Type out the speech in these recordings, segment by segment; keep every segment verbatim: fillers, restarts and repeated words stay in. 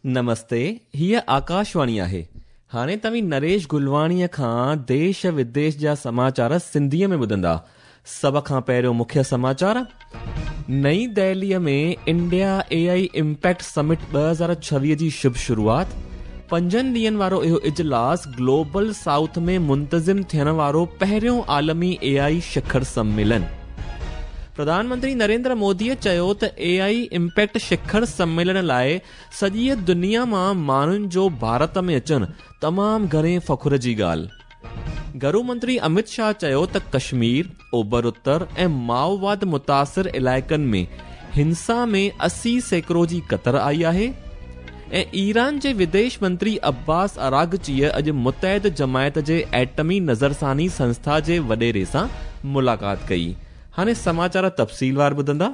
नमस्ते, हीअ आकाशवाणी आहे। हाणे तव्हीं नरेश गुलवाणीअ खां देश विदेश जा समाचार सिंधीअ में ॿुधंदा। सभ खां पहिरियों मुख्य समाचार। नई दिल्लीअ में इंडिया एआई इम्पैक्ट समिट ॿ हज़ार छवीह जी शुभ शुरूआत। पंजनि ॾींहनि वारो इहो इजलास ग्लोबल साउथ में मुंतज़िम थियण वारो पहिरियों आलमी एआई शिखर सम्मेलन। प्रधानमंत्री नरेंद्र मोदीअ चयो त एआई इम्पैक्ट शिखर सम्मेलन लाइ सॼीअ दुनिया मां माण्हुनि जो भारत में अचणु तमामु घणे फ़ख़्र जी ॻाल्हि। घरू मंत्री अमित शाह चयो त कश्मीर, ओभर उत्तर ऐं माओवाद मुतासिर इलाइक़नि में हिंसा में असी सैकड़ो जी कतर आई आहे। ऐं ईरान जे विदेश मंत्री अब्बास अरागचीअ अॼु मुतहद जमायत जे एटमी नज़रसानी संस्था जे वॾेरे सां मुलाक़ात कई। हाणे समाचार तफ़सीलवार ॿुधंदा।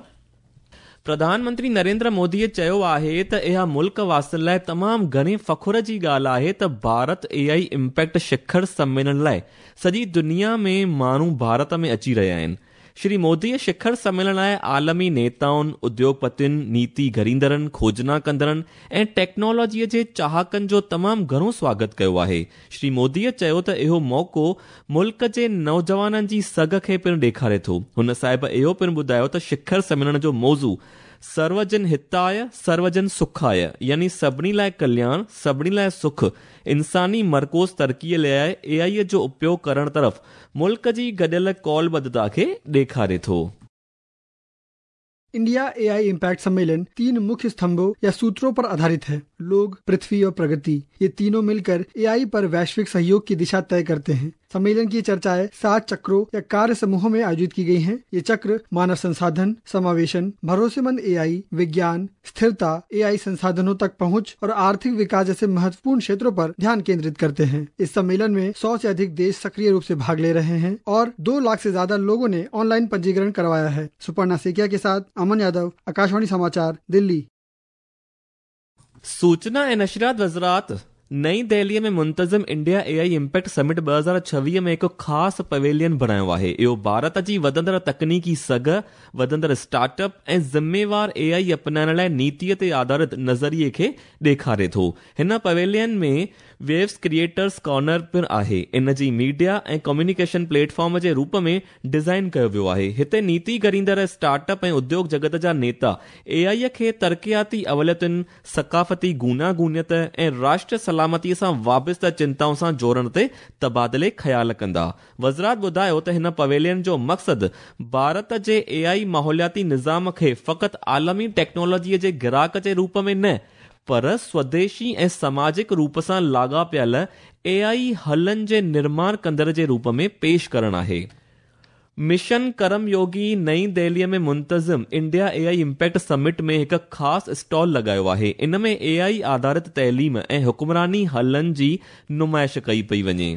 प्रधानमंत्री नरेंद्र मोदीअ चयो आहे त इहा मुल्क वासियुनि लाइ तमामु घणे फ़ख़्र जी ॻाल्हि आहे त भारत एआई इम्पैक्ट शिखर सम्मेलन लाइ सॼी दुनिया में माण्हू भारत में अची रहिया आहिनि। श्री मोदीअ शिखर सम्मेलन लाइ आलमी नेताउनि, उद्योगपतियुनि, नीति घड़ींदड़नि, खोजना कंदड़नि ऐं टेक्नोलॉजीअ जे चाहकनि जो तमामु घणो स्वागत कयो आहे। श्री मोदीअ चयो त इहो मौक़ो मुल्क जे नौजवाननि जी सघ खे पिणु ॾेखारे थो। हुन साहिब इहो पिणु ॿुधायो त शिखर सम्मेलन जो मौज़ू सर्वजन हिताय सर्वजन सुखाय यानी सभिनी लाइ कल्याण, सभिनी लाइ सुख, इंसानी मरकोज़ तरक़ीअ लाइ एआई जो उपयोग करण तरफ़ मुल्क जी गॾियल कौलबद्धता खे ॾेखारे थो। इंडिया एआई इम्पैक्ट सम्मेलन तीन मुख्य स्तंभों या सूत्रों पर आधारित है: लोग, पृथ्वी और प्रगति। ये तीनों मिलकर एआई पर वैश्विक सहयोग की दिशा तय करते हैं। सम्मेलन की चर्चाएं सात चक्रों या कार्य समूहों में आयोजित की गई हैं। ये चक्र मानव संसाधन, समावेशन, भरोसेमंद एआई, विज्ञान, स्थिरता, एआई संसाधनों तक पहुंच और आर्थिक विकास जैसे महत्वपूर्ण क्षेत्रों पर ध्यान केंद्रित करते हैं। इस सम्मेलन में सौ से अधिक देश सक्रिय रूप से भाग ले रहे हैं और दो लाख से ज्यादा लोगों ने ऑनलाइन पंजीकरण करवाया है। सुपर्णा सेकिया के साथ अमन यादव, आकाशवाणी समाचार, दिल्ली। सूचना ऐं नशरियात वज़ारत नई दिल्लीअ में मुंतज़िम इंडिया एआई इम्पैक्ट समिट ॿ हज़ार छवीह में हिकु ख़ासि पवेलियन बणायो आहे। इहो भारत जी वधंदड़ तकनीकी सघ, वधंदड़ स्टार्टअप ऐं ज़िम्मेवार एआई अपनाइण लाइ नीतीअ ते आधारित नज़रिए खे ॾेखारे थो। हिन पवेलियन में वेव्स क्रिएटर्स कॉर्नर पिणु आहे। इन जी मीडिया ऐं कम्युनिकेशन प्लेटफॉर्म जे रूप में डिज़ाइन कयो वियो आहे। हिते नीति घड़ींदड़ स्टार्टअप ऐं उद्योग जगत जा नेता एआई खे तरक़ियाती अवलियतुनि, सकाफ़ती गूनागूनियत ऐं राष्ट्र सलामतीअ सां वाबिस्ता चिंताउनि सां जोड़ण ते तबादिले ख़्याल कंदा। वज़ारत ॿुधायो त हिन पवेलियन जो मक़सदु भारत जे एआई माहौलियाती निज़ाम खे फ़क़ति आलमी टेक्नोलॉजीअ जे ग्राहक जे रूप में न पर स्वदेशी ऐं समाजिक रूप सां लाॻापियल एआई हलनि जे निर्माण कंदड़ जे रूप में पेश करणु आहे। मिशन कर्मयोगी नई दिल्लीअ में मुंतज़िम इंडिया एआई इम्पैक्ट समिट में हिकु ख़ासि स्टॉल लॻायो आहे। इन में एआई आधारित तइलीम ऐं हुक्मरानी हलनि जी नुमाइश कई पई वञे।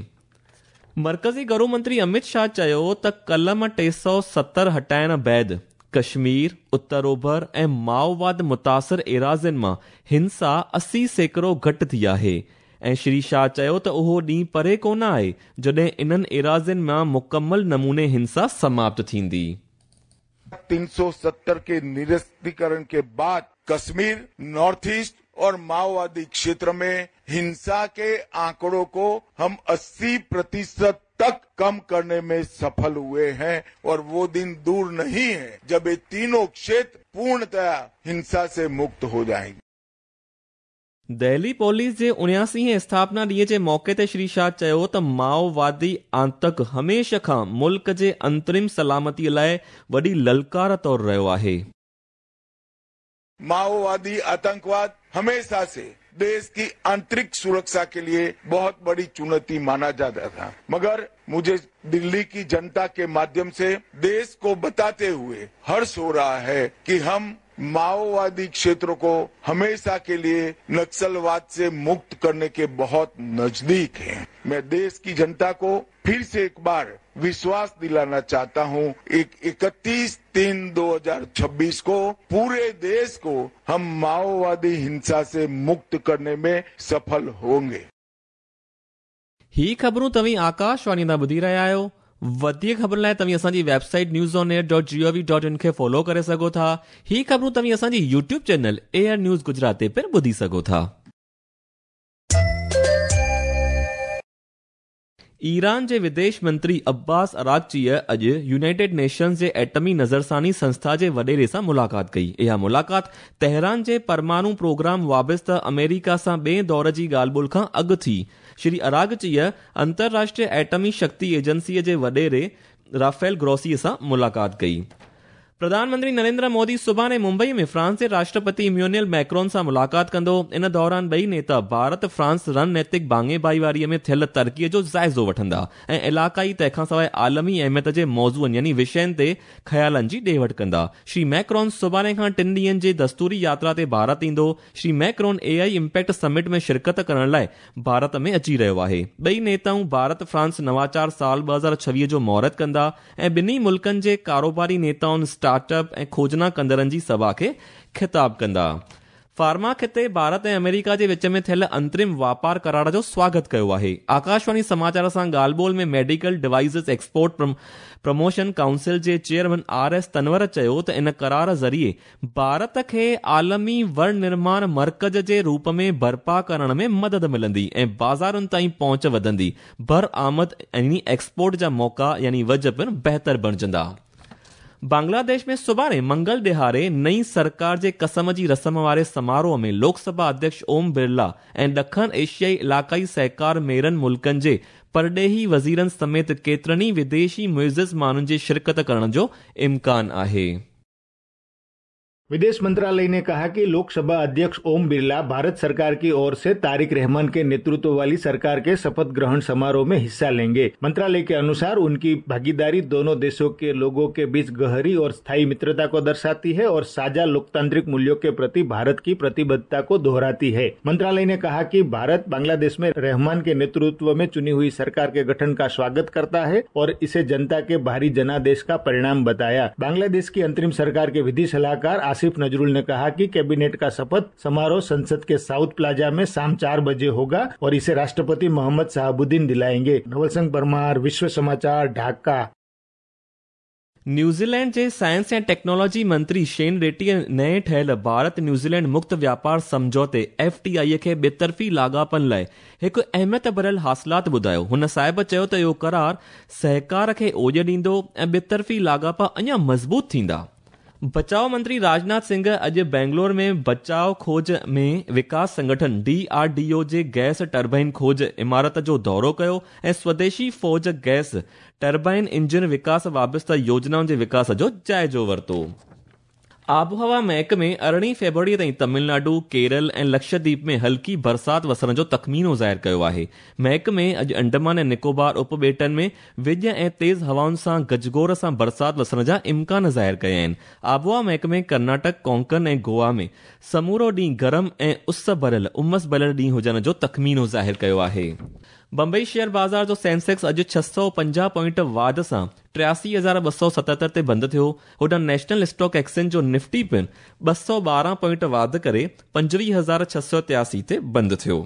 मर्कज़ी घरू मंत्री अमित शाह चयो त कलम टे सौ सत्तर हटाइण बाद कश्मीर, उत्तर ओभर ऐं माओवाद मुतासिर एराज़ियुनि मां हिंसा असी सैकड़ो घटि थी आहे। ऐं श्री शाह चयो त उहो ॾींहुं परे कोन आहे जॾहिं इन्हनि एराज़ियुनि मां मुकमल नमूने हिंसा समाप्त थींदी। तीन सौ सत्तर के निरस्तीकरण के बाद कश्मीर, नॉर्थ ईस्ट और माओवादी क्षेत्र में हिंसा के आंकड़ों को हम अस्सी प्रतिशत तक कम करने में सफल हुए हैं और वो दिन दूर नहीं है जब ये तीनों क्षेत्र पूर्णतया हिंसा से मुक्त हो जाएंगे। दिल्ली पुलिस जे उणियासीहें स्थापना ॾींहं जे मौक़े ते श्री शाह चयो त माओवादी आतंक हमेशह खां मुल्क जे अंतरिम सलामतीअ लाइ वॾी ललकार तौरु रहियो आहे। माओवादी आतंकवाद हमेशा से देश की आंतरिक सुरक्षा के लिए बहुत बड़ी चुनौती माना जाता था, मगर मुझे दिल्ली की जनता के माध्यम से देश को बताते हुए हर्ष हो रहा है कि हम माओवादी क्षेत्रों को हमेशा के लिए नक्सलवाद से मुक्त करने के बहुत नजदीक हैं। मैं देश की जनता को फिर से एक बार विश्वास दिलाना चाहता हूं, एक इकतीस तीन दो हजार छब्बीस को पूरे देश को हम माओवादी हिंसा से मुक्त करने में सफल होंगे। ही ख़बरूं तव्हीं आकाशवाणी तां ॿुधी रहिया आहियो। वधीक ख़बरुनि लाइ तव्हीं असांजी website news on air dot G O V dot in खे फॉलो करे सघो था। ही ख़बरूं तव्हीं असांजी YouTube channel air news Gujarat ते पिणु ॿुधी सघो था। ईरान जे विदेश मंत्री अब्बास अरागचीअ अॼु यूनाइटेड नेशंस जे एटमी नज़रसानी संस्था जे वॾेरे सां मुलाक़ात कई। इहा मुलाक़ात तेहरान जे परमाणु प्रोग्राम वाबस्ता अमेरिका सां ॿिए दौर जी ॻाल्हि ॿोल खां अॻु थी। श्री अरागचीअ अंतर्राष्ट्रीय एटमी शक्ति एजेंसीअ जे वॾेरे राफेल ग्रोसीअ सां मुलाक़ात कई। प्रधानमंत्री नरेंद्र मोदी सुभाणे मुंबई में फ्रांस जे राष्ट्रपति इमैनुअल मैक्रोन सां मुलाक़ात कंदो। इन दौरान ॿई नेता भारत फ्रांस रणनैतिक भाङे भाईवारीअ में थियल तरक़ीअ जो जाइज़ो वठंदा ऐं इलाइक़ाई तंहिंखां सवाइ आलमी अहमियत जे मौज़ूअनि यानी विषयनि ते ख़यालनि जी ॾे वठि कंदा। श्री मैक्रोन सुभाणे खां टिनि ॾींहंनि जे दस्तूरी यात्रा ते भारत ईंदो। Shri Macron A I impact summit में शिरकत करण लाइ भारत में अची रहियो आहे। ॿई नेताऊं भारत फ्रांस नवाचार साल ॿ हज़ार छवीह जो मुहूर्त कंदा ऐं ॿिन्ही मुल्कनि जे कारोबारी नेताउनि, स्टार्टअप ऐं खोजना कंदड़नि जी सभा खे ख़िताब कंदा। फार्मा खिते भारत ऐं अमेरिका जे विच में थियल अंतरिम वापार करार जो स्वागत कयो आहे। आकाशवाणी समाचार सां ॻाल्हि ॿोल में medical devices export promotion council जे चेयरमैन आर एस तनवर चयो त इन करार ज़रिए भारत खे आलमी विनिर्माण मर्कज़ जे रूप में बर्पा करण में मदद मिलंदी ऐं बाज़ारुनि ताईं पहुंच वधंदी। बरआमद यानी एक्सपोर्ट जा मौक़ा यानी वज पिणु बहितर बणिजंदा। बांग्लादेश में सुभाणे मंगल ॾिहाड़े नई सरकार जे कसम जी रस्म वारे समारोह में लोकसभा अध्यक्ष ओम बिरला ऐं ॾखण एशियाई इलाइक़ाई सहकार मेरनि मुल्कनि जे परॾेही वज़ीरनि समेत केतिरनि विदेशी मुइज़ माण्हुनि जे शिरकत करण जो इम्कान आहे। विदेश मंत्रालय ने कहा कि लोकसभा अध्यक्ष ओम बिरला भारत सरकार की ओर से तारिक रहमान के नेतृत्व वाली सरकार के शपथ ग्रहण समारोह में हिस्सा लेंगे। मंत्रालय के अनुसार उनकी भागीदारी दोनों देशों के लोगों के बीच गहरी और स्थायी मित्रता को दर्शाती है और साझा लोकतांत्रिक मूल्यों के प्रति भारत की प्रतिबद्धता को दोहराती है। मंत्रालय ने कहा कि भारत बांग्लादेश में रहमान के नेतृत्व में चुनी हुई सरकार के गठन का स्वागत करता है और इसे जनता के भारी जनादेश का परिणाम बताया। बांग्लादेश की अंतरिम सरकार के विधि सलाहकार आसिफ नजरुल ने कहा कि कैबिनेट का शपथ समारोह संसद के साउथ प्लाजा में शाम चार बजे होगा और इसे राष्ट्रपति मोहम्मद शहाबुद्दीन दिलाएंगे। नवल सिंह परमार, विश्व समाचार, ढाका। न्यूजीलैंड जे साइंस ऐं टेक्नोलॉजी मंत्री शेन रेड्डीअ नए ठहियल भारत न्यूजीलैंड मुक्त व्यापार सम्झौते एफ टी I खे ॿितरफ़ी लाॻापनि लाइ हिकु अहमियत भरियल हासिलात ॿुधायो। हुन साहिब चयो त इहो करार सहकार खे ओॼ ॾींदो ऐं ॿितरफ़ी लाॻापा अञा मज़बूत थींदा। बचाव मंत्री राजनाथ सिंह अॼु बेंगलोर में बचाव खोज में विकास संगठन डी आर डी ओ जे गैस टर्बाइन खोज इमारत जो दौरो कयो ऐं स्वदेशी फ़ौज गैस टर्बाइन इंजन विकास वाबस्ता योजनाउनि जे विकास जो जाइज़ो वरितो। आबहवा महकमे अरिड़हीं फ़ेब्रुअरी ताईं तमिलनाडु, केरल ऐं लक्षद्वीप में हल्की बरसात वसण जो तख़मीनो ज़ाहिर कयो आहे। महकमे अॼु अंडमान ऐं निकोबार उपॿेटनि में विॼ ऐं तेज़ हवाउनि सां गजगोर सां बरसात वसण जा इम्कान ज़ाहिर कया आहिनि। आबहवा महकमे कर्नाटक, कोंकण ऐं गोवा में समूरो ॾींहुं गरम ऐं उस भरियल उमस भरियल ॾींहुं हुजण जो तख़मीनो ज़ाहिर कयो आहे। बंबई शेयर बाज़ार जो सेंसेक्स अॼु छह सौ पंजाह पॉइंट वाध सां टियासी हज़ार ॿ सौ सतहतरि ते बंदि थियो। होॾां नेशनल स्टॉक एक्सचेंज जो निफ्टी पिणु ॿ सौ ॿारहं पॉइंट वाध करे पंजवीह हज़ार छह सौ तियासी ते बंदि थियो।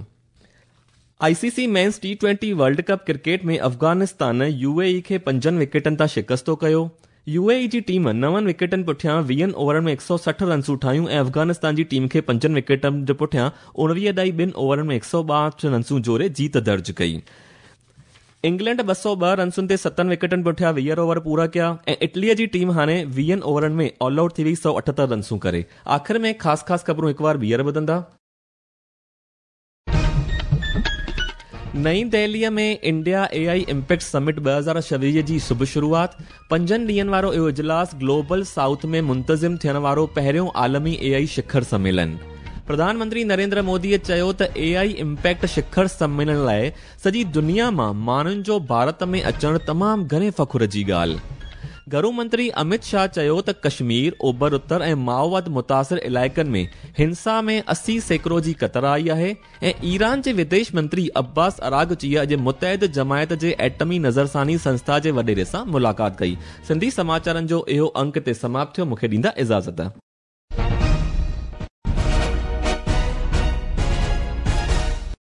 I C C men's T twenty world cup cricket में अफ़गानिस्तान यू ए ई खे पंजनि विकेटनि तां शिकस्तो कयो। U A E ji team नवनि विकेटनि पुठियां वीहनि ओवरनि में हिकु सौ सठि रनसूं ठाहियूं ऐं अफ़गानिस्तान जी टीम खे पंजनि विकेटनि जे पुठियां उणिवीह ॾाई ॿिनि ओवरनि में हिकु सौ ॿाहठि रनसूं जोड़े जीत दर्ज कई। इंग्लैंड ॿ सौ ॿ रनसुनि ते सतनि विकेटनि पुठियां वीह ओवर पूरा कया ऐं इटलीअ जी टीम हाणे वीहनि ओवरनि में ऑल आउट थी वई सौ अठहतरि रनसूं करे। आख़िर में ख़ासि ख़ासि ख़बरूं हिकु बार ॿीहर ॿुधंदा। नई दिल्लीअ में India A I impact summit ॿ हज़ार छवीह जी सुबुह शुरूआत। पंजनि ॾींहंनि वारो इहो इजलास ग्लोबल साउथ में मुंतज़िम थियण वारो पहिरियों आलमी ए आई शिखर सम्मेलन। प्रधानमंत्री नरेंद्र मोदीअ चयो त ए I impact शिखर सम्मेलन लाइ सॼी दुनिया मां माण्हुनि जो भारत में अचणु तमामु घणे फ़ख़ुर जी ॻाल्हि। घरू मंत्री अमित शाह चयो त कश्मीर, ओभर उत्तर ऐं माओवाद मुतासिर इलाइक़नि में हिंसा में अस्सी सैकड़ो जी कतर आई आहे ऐं ईरान जे विदेश मंत्री अब्बास अरागचीअ अॼु मुतहद जमायत जे एटमी नज़रसानी संस्था जे वॾेरे सां मुलाक़ात कई। सिंधी समाचारनि जो इहो अंक ते समाप्त थियो। मूंखे ॾींदा इजाज़त।